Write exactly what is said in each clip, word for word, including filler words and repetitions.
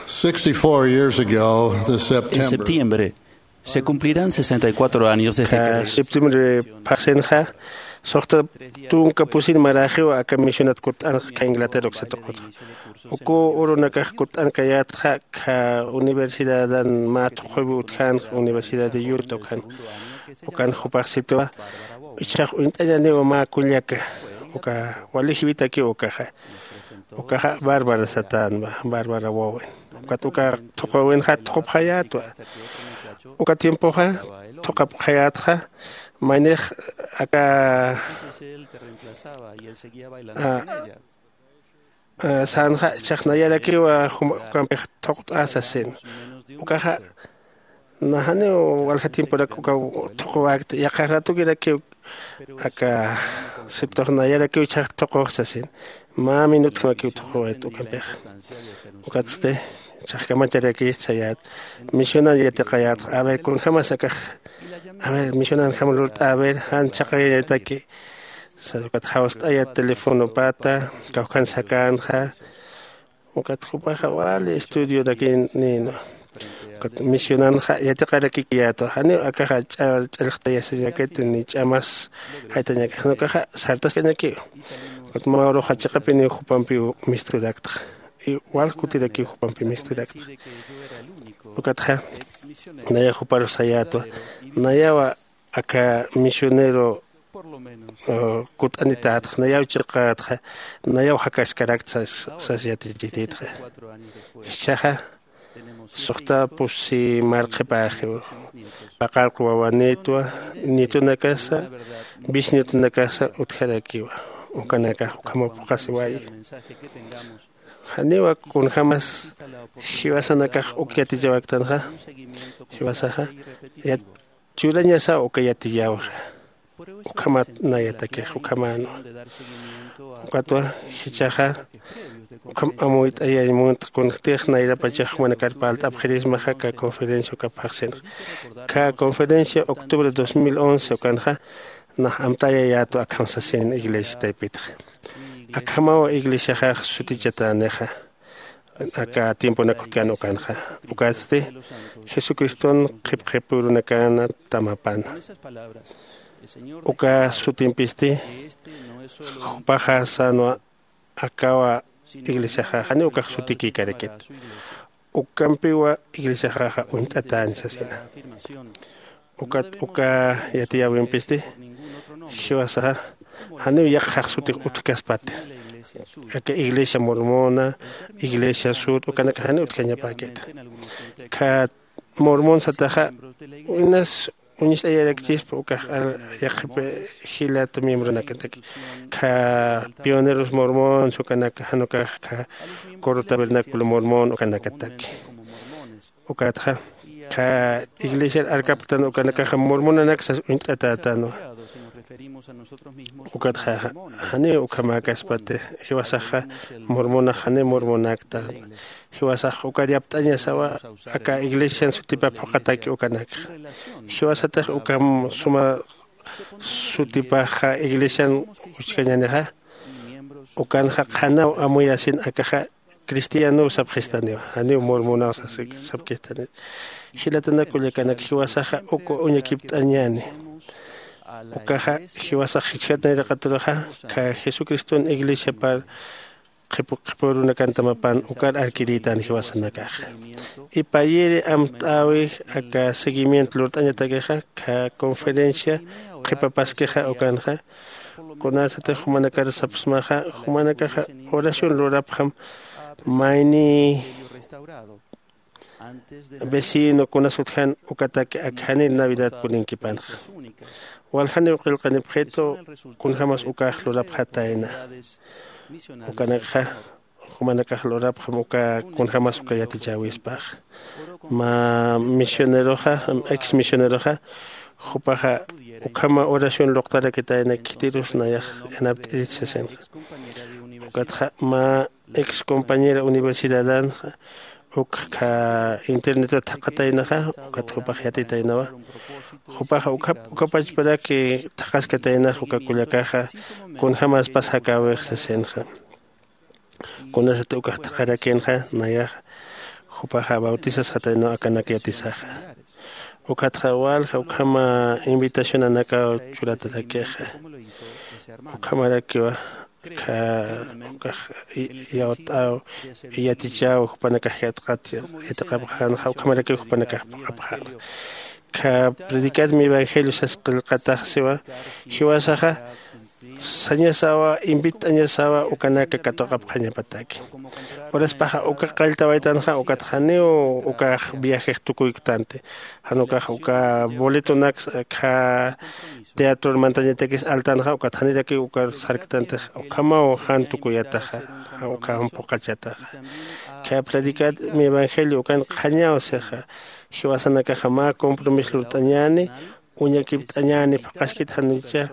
Sixty-four years ago this September, en septiembre se cumplirán sesenta y cuatro años desde que septiembre phaxsinxa suxta tunka pusin maraxiw aka misionat kutt'anxa kha Inglaterra uksa tuqutxa. Uku urunakax kutt'ankayätxa kha universidadan mä thuqhuwi utjänxa, Universidad de Utah ukhan. Ukan jupax sitwa ichhax uñt'añaniwa mä kullaka, uka wali jiwitakiw ukaxa. Ukaxa Bárbara satänwa, Bárbara Wowen. Ukat uka thuqhuwinxa thuqupxayätwa. Uka tiempoxa thuqapxayätxa, maynix aka sänxa ichhax nayarakiwa ukampix thuqt'asa sin. Ukaxa na janiw walja tiemporak uka thuquwäkta, yaqha ratukirakiw aka situx nayarakiw ichhax thuquxsa sin. Mä minutjamakiw thuquwayt ukampixa. Ukatsti ichhax kamacharakist sayät, misionan yatiqayätxa, a ver kunjämas akax, a ver misionanjam lurt'a, a ver jan chhaqayañataki. Ukat jawst'ayät telefonopata, kawkhan sakänxa. Ukat jupaxa wali estudiorakinïnwa. Ukat misionanxa yatiqarakikiyätwa, janiw akaxa ch'allxtayasiñakiti ni ch'amas jaytañakiti, jan ukaxa sartaskañakiw. Ukat mä uruxa chiqapiniw jupampiw misturaktxa. Wal kutirakiw jupampi misturaktxa. Ukatxa nayax juparux sayätwa, nayawa aka misionero kutt'anitätxa, nayaw chiqätxa, nayaw jakaskarakta sas yatichititxa. Jichhaxa suxta pusi marqhipäxiw, paqallq wawanïtwa, nietonakasa, bisnietonakasa utjarakiwa. Ukanakax ukhamaw phuqhasiwayi. Janiwa kunjämas jiwasanakax uk yatichawaktanxa, jiwasaxa churañasaw uka yatiyäwixa. Ukhamat nayatakix ukhamänwa. Ukatwa jichhaxa ukham amuyt'ayañ munt, kunjtix nayrapachax jumanakar parlt'apxirismaxa aka conferencia uka phaxsinxa. Aka conferencia octubre dos mil once ukanxa nax amtayayätwa akham sasin iglesia taypitxa. Akhamaw iglesiaxax sutichatänixa aka tiemponak utjkän ukanxa. Ukatsti Jesucriston qhipqhipürunakana tamapana. Uka sutimpisti jupaxa sänwa, akawa iglesiaxa janiw ukax sutikïkarakit. Ukampiwa iglesiaxaxa uñt'atäni sasina. Ukat uka yatiyäwimpisti jiwasaxa janiw yaqhax sutix utjkaspati. Aka iglesia mormona, iglesia sut ukanakax janiw utjañapäkiti. Kha mormon sataxa inas uñist'ayarakchispa ukax yaqhip jilat miembronakataki. Kha pioneros mormons ukanaka, jan ukax kha coro tabernáculo mormon ukanakataki. Ukatxa kha iglesiar arkapktan ukanakaxa mormonanaksa uñt'atätänwa. Ukatxa janiw ukhamäkaspati, jiwasaxa mormonax janiw mormonakta. Jiwasax ukar yapt'añasawa aka iglesian sutipap phuqhataki ukanakxa. Jiwasatix ukham suma sutipaxa iglesian uchkañänixa, ukanxa qhanaw amuyasin akaxa cristianow sapxistaniwa, janiw mormonaw sapkistani. Jilatanak kullakanak, jiwasaxa uk uñakipt'añäni. Ukaxa jiwasax jichhat nayraqaturuxa kha Jesucriston iglesiapar qhipurunakan tamapan ukar arkirïtän jiwasanakaxa. Ipayiri amt'äwi aka seguimiento lurt'añatakixa kha conferencia qhipapaskixa ukanxa. Kunasatix jumanakar sapxsmaxa, jumanakaxa oración lurapxam mayni vecino kunas utjan ukataki akjanir navidad purinkipänxa. Waljaniw qillqanipxitu kunjämas ukax lurapxatayna. Ukanakxa jumanakax lurapxam uka kunjämas uka yatichäwispax. Mä misioneroxa, ex misioneroxa jupaxa ukhama oración luqtarakitayna khitirus nayax yanapt'irit sasinxa. Ukatxa mä ex compañera universidadanxa uk kha internetat thaqhataynaxa, ukat jupax yatitaynawa. Jupaxa ukhap ukapachparaki thaqhaskataynaxa uka kullakaxa kunjämaspas jakäwix sasinxa. Kunasat ukax thaqharakinxa nayaxa jupaxa bautisasxataynaw akanak yatisaxa. Ukatxa walja ukhama invitacionanakaw churatatakixa. Ukhamarakiwa kha ukax yawt'aw yatichaw jupanakax yatqat yatiqapxänxa ukhamarakiw jupanakax phuqhapxänxa. Kha predicar mi evangelio sas qillqatax siwa jiwasaxa sañasawa invit'añasawa ukanaka katuqapxañapataki. Uraspaxa uka qalltawaytanxa ukat janiw ukax viajex tukuyktanti. Jan ukax uka boletonaks kha teatror mantañatakis altanxa ukat janirakiw ukar sarktantix ukhamaw jan tukuyataxa. Ukham phuqhachataxa kha predicar mi evangelio ukan qhañaw sixa. Jiwasanakaxa mä compromiso lurt'añäni uñakipt'añäni phuqhaskit jan ukacha.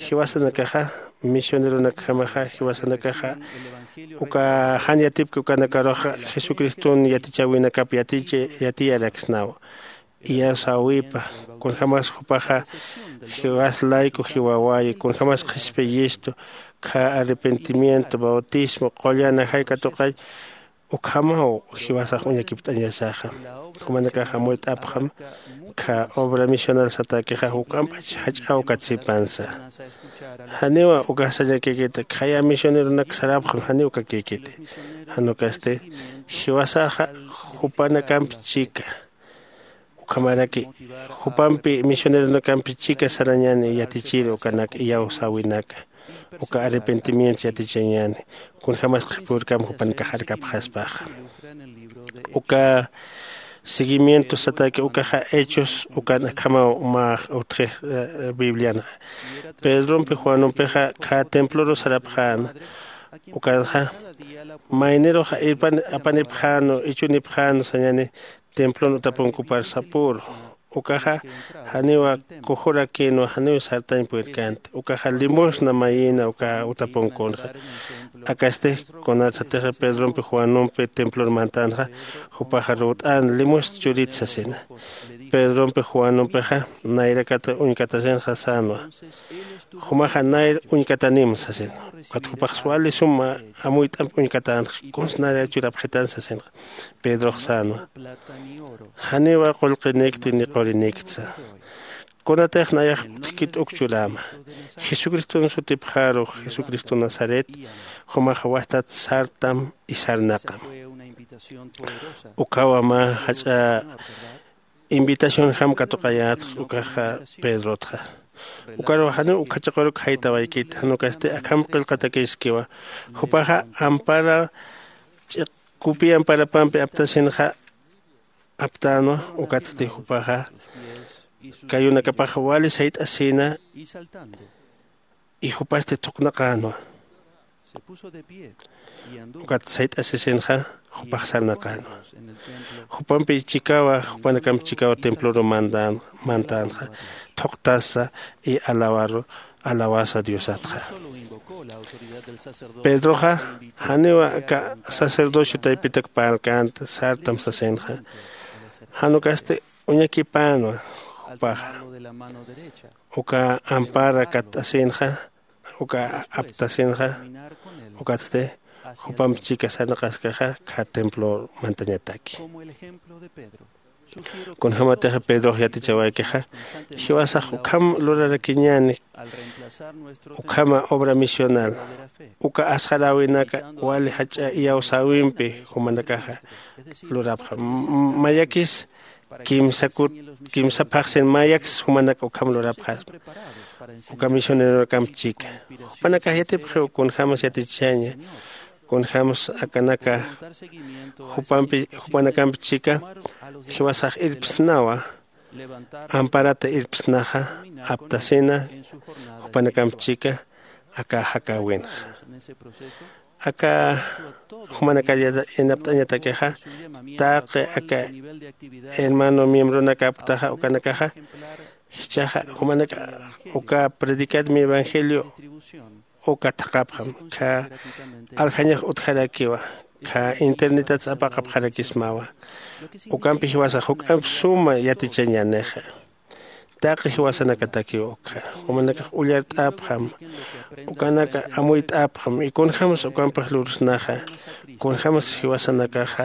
Jiwasanakaxa misioneronakjamaxa jiwasanakaxa uka jan yatipki ukanakaruxa jesucriston yatichäwinakap yatichi yatiyaraksnaw. Iyawsäwipa kunjämas jupaxa jiwas layku jiwawayi kunjämas qhispiyistu kha arrepentimiento bautismo qullan ajay katuqay. Ukhamaw jiwasax uñakipt'añasaxa. Jumanakax amuyt'apxam kha obra misional satäkixa juk'ampach jach'aw katsipansa. Janiwa ukax sañakïkiti khaya misioneronak sarapxam janiw kakïkiti. Jan ukasti jiwasaxa jupanakamp chika ukhamaraki jupampi misioneronakampi chika sarañäni yatichir ukanak iyawsäwinaka uka arrepentimiento yatichañäni. Kunjämas qhipürkam jupanakax arkapxaspaxa uka seguimiento satäki ukaxa hechos ukan akhamaw mä utjix biblianxa. Pedrompi juanumpixa kha temploru sarapxäna ukanxa mayniruxa irpan apanipxänu ichunipxänu sañäni templon utapunkupar sapüru. Ukaxa janiwa kujurakïnwa janiw sartañ purirkänti ukaxa limosna mayïna uka utapunkunxa. Akasti kunatsatixa pedrompi juanumpi templor mantänxa jupaxa ruwt'än limosna churit sasina. Pedrompi juanumpixa nayrakat uñkatasinxa sänwa jumaxa nayr uñkatanim sasin. Ukat jupax wali suma amuyt'amp uñkatänxa kunsa nayra churapxitan sasinxa. Pedrox sänwa janiwa qullqinikti ni quriniktsa. Kunatix nayax utjkit uk churäma jesucriston sutipxaru jesucristo nazaret jumax wajtat sartam y sarnaqam. Ukhawa mä jach'a invitacionjam katuqayätx ukaxa pedrotxa. Ukaruw janiw ukhachiquruk jaytawaykiti jan ukasti akham qillqatakiskiwa. Jupaxa ampara ch'iq kupi amparapampi aptasinxa aptänwa. Ukatsti jupaxa kayunakapax wali sayt'asïna y jupasti thuqnaqänwa. Ukat sayt'asisinxa jupax sarnaqänwa. Jupampi chikawa jupanakamp chikawa temploru mantänxa thuqtasa y alawaru alawasa diosatxa. Pedroxa janiwa aka sacerdocio taypitak parlkänti sartam sasinxa. Jan ukasti uñakipänwa jupaxa uka ampara katt'asinxa uka aptasinxa. Ukatsti jupamp chika sarnaqaskaxa kha templor mantañataki. Kunjämatix pedrox yatichawaykixa jiwasax ukham lurarakiñäni ukhama obra misional uka asxaräwinaka wali jach'a iyawsäwimpi jumanakaxa lurapxam. Mayakis kimsa kut kimsa phaxsin mayakis jumanak ukham lurapxasma. Uka misioneronakamp chika jupanakax yatipxiw kunjämas yatichaña kunjämas akanaka jupanakamp chika jiwasax irpsnawa amparata irpsnaxa aptasina jupanakamp chika aka jakäwinxa. Aka jumanakar yanapt'añatakixa taqi aka hermano miembronakapktaxa ukanakaxa jichhaxa jumanaka uka predicad mi evangelio uka thaqhapxam kha aljañax utjarakiwa kha internetat apaqapxarakismawa. Ukampi jiwasax juk'amp suma yatichañänixa taqi jiwasanakatakiw ukkha jumanakax ullart'apxam ukanaka amuyt'apxam y kunjämsa ukampix lursnaxa kunjämsa jiwasanakaxa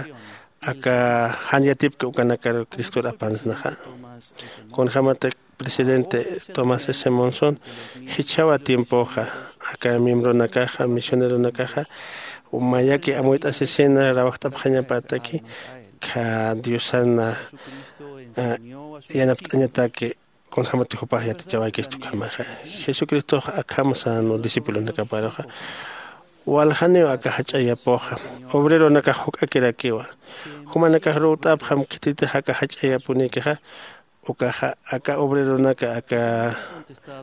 aka jan yatipki ukanakar cristor apansnaxa. Kunjämatak presidente tomás s monson jichhawa tiempoxa aka miembronakaxa misioneronakaxa mayaki amuyt'asisina rawajt'apxañapataki kha diosana yanapt'añataki. Kunjämati jupax yatichawaykista ukhamaxa jesucristox akham sän discipulonakaparuxa waljaniw aka jach'a yapuxa obreronakax juk'akirakiwa. Jumanakax ruwt'apxam khititix aka jach'a yapunïkixa ukaxa aka obreronaka aka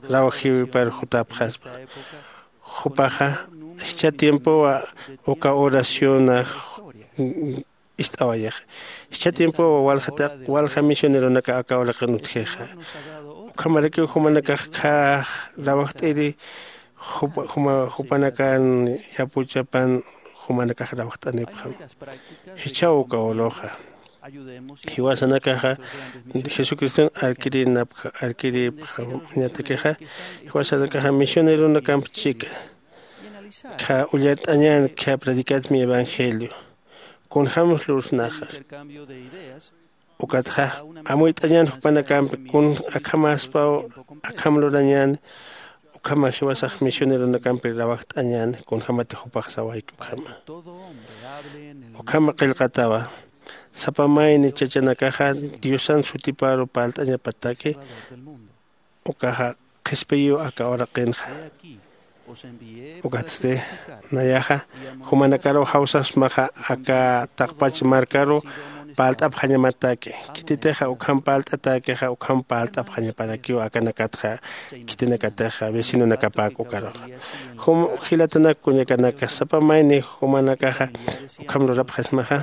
rawjiwipar jutapxaspa. Jupaxa jichha tiempowa uka oraciona ist'awayixa. Jichha tiempowa walja misioneronaka aka uraqin utjixa. Ukhamarakiw jumanakax khä rawajt'iri jupanakan yapuchapan jumanakax rawajt'anipxam. Jichhaw uka uruxa jiwasanakaxa jesucriston arkirïnapkha arkirïpxañatakixa jiwasanakaxa misioneronakamp chika kha ullart'añän kha predicatmi evangelio kunjämsa lursnaxa. Ukatxa amuyt'añän jupanakampi kun akhamäspaw akham lurañäni. Ukhama jiwasax misioneronakampi rawajt'añäni kunjämati jupax sawayki ukhama ukhama qillqatawa. Sapa mayni chachanakaxa diosan sutiparu parlt'añapataki ukaxa qhispiyiw aka uraqinxa. Ukatsti nayaxa jumanakaruw jawsasmaxa aka taqpach markaruw parlt'apxañamataki. Khititixa ukham parlt'atäkixa ukham parlt'apxañaparakiw akanakatxa khitinakatixa vecinonakapäk ukaruxa. Jum jilatanak kuñakanaka sapa mayni jumanakaxa ukham lurapxasmaxa.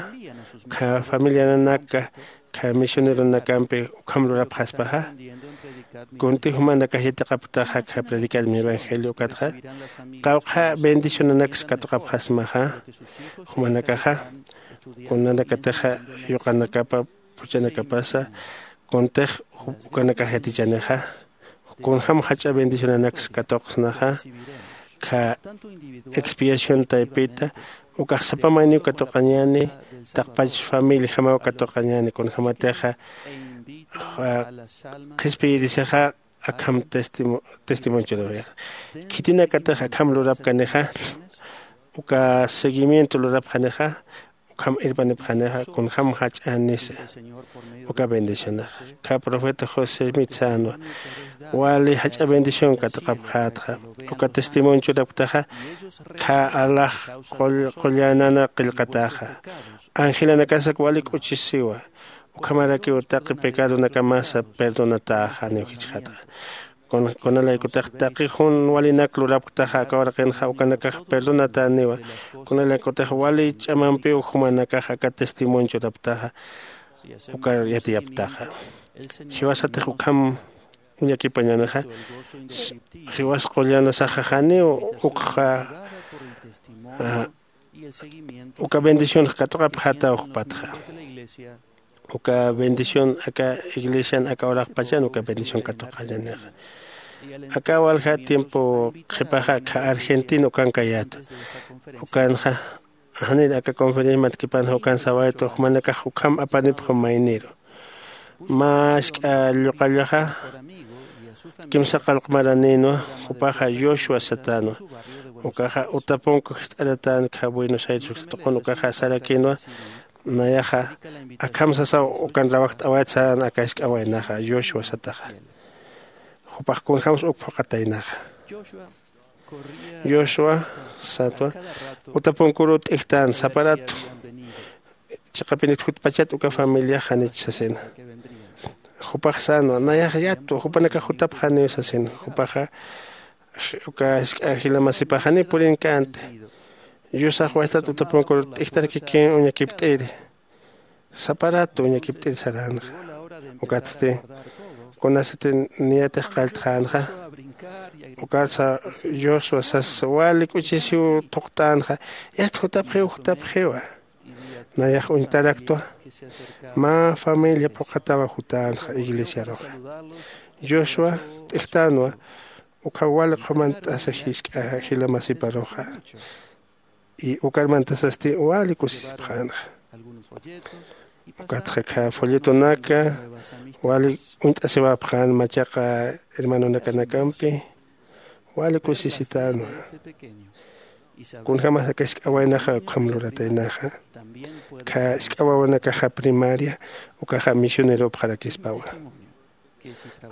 Kha familiananaka kha misioneronakampi ukham lurapxaspaxa. Kunti jumanakax yatiqapktaxa kha predicar mi evangelio ukatxa qawqha bendicionanaksa katuqapxasmaxa. Jumanakaxa kunanakatixa yuqanakapa phuchhanakapasa kuntix ukanakax yatichanixa. Kunjäm jach'a bendicionanaksa katuqsnaxa kha expiación taypita ukax sapa mayniw katuqañäni. Taqpach familiajamaw katuqañäni kunjämatixa qhispiyirisixa akham testimonio churawixa. Khitinakatix akham lurapkanixa uka seguimiento lurapxanixa ukham irpanipxanixa kunjäm jach'änisa. Uka bendicionaxa kha profeta josé smith sänwa wali jach'a bendición katuqapxätxa. Uka testimonio churapktaxa kha alax qullanana qillqataxa angelanakasak wali k'uchisiwa. Ukhamarakiw taqi pecadonakamasa perdonatäxaniw jichxatxa. Kunalaykutix taqi jun walinak lurapktaxa aka uraqinxa ukanakax perdonatäniwa. Kunalaykutix wali ch'amampiw jumanakax aka testimonio churapktaxa ukar yatiyapktaxa. Jiwasatix ukham uñakipañänixa jiwas qullanasaxa janiw ukxa uka bendicionx katuqapxätaw jupatxa. Uka bendición aka iglesian aka uraqpachan uka bendición katuqañänixa. Aka walja tiempo qhipaxa akha argentina ukankayäta. Ukanxa janir aka conferencia matkipanxa ukan sawaytu jumanakax ukham apanipxam mayniru. Mä jisk'a lluqallaxa kimsa qallq maranïnwa. Jupaxa yoshua satänwa. Ukaxa utapunku jist'aratänkha buenos aires uksa tuqun ukaxa sarakïnwa. Nayaxa akham sasaw ukan rawajt'awayt saran aka jisk'a waynaxa yoshua sataxa. Jupax kunjämsa uk phuqataynaxa. Yoshua satwa utapunkuruw t'ijtän sapa ratu. Chiqapinit jutpachat uka familiax janich sasina. Jupax sänwa nayax yatwa jupanakax jutapxaniw sasina. Jupaxa uka jisk'a jila masipax janiw purinkänti. Yusax waytat utapunkur t'ijtarkikïn uñakipt'iri. Sapa ratu uñakipt'iri saränxa. Ukatsti kunasati niyatix qalltxänxa. Ukarsa yuswa sas wali k'uchisiw thuqtänxa. Yast jutapxiw jutapxiwa. Nayax uñtaraktwa mä familia phuqhatawa jutänxa iglesiaruxa. Yuswa t'ijtänwa. Ukhaw wali qhumant'asa jisk'a jila masiparuxa. Y ukar mantasasti wali kusisipxänxa. Ukatxa kha folletonaka wali uñt'asiwapxän machaqa hermanonakanakampi. Wali kusisitänwa. Kunjämas aka isk'a waynaxa ukham lurataynaxa, kha isk'a wawanakaxa primaria ukaxa misioneropxarakispawa.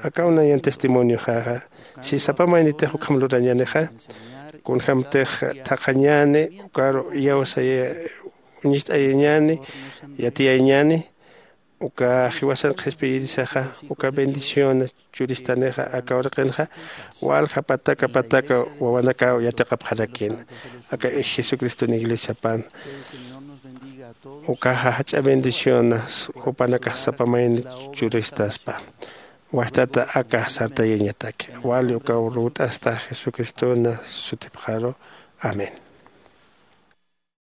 Akaw nayan testimonioxaxa, si sapa maynitix ukham lurañänixa, kunjämtix thaqhañäni ukaru iyawsaya uñicht'ayañäni, yatiyayñäni, uka jiwasan qhispiyirisaxa uka bendición churistanixa aka uraqinxa walja pataka pataka wawanakaw yatiqapxarakïna. Aka jesucriston iglesiapan ukaxa jach'a bendicionas jupanakax sapa mayni churistaspa. Wajtata aka sartayañataki wali ukaw lurt'asta jesucristona sutipxaru. Amén.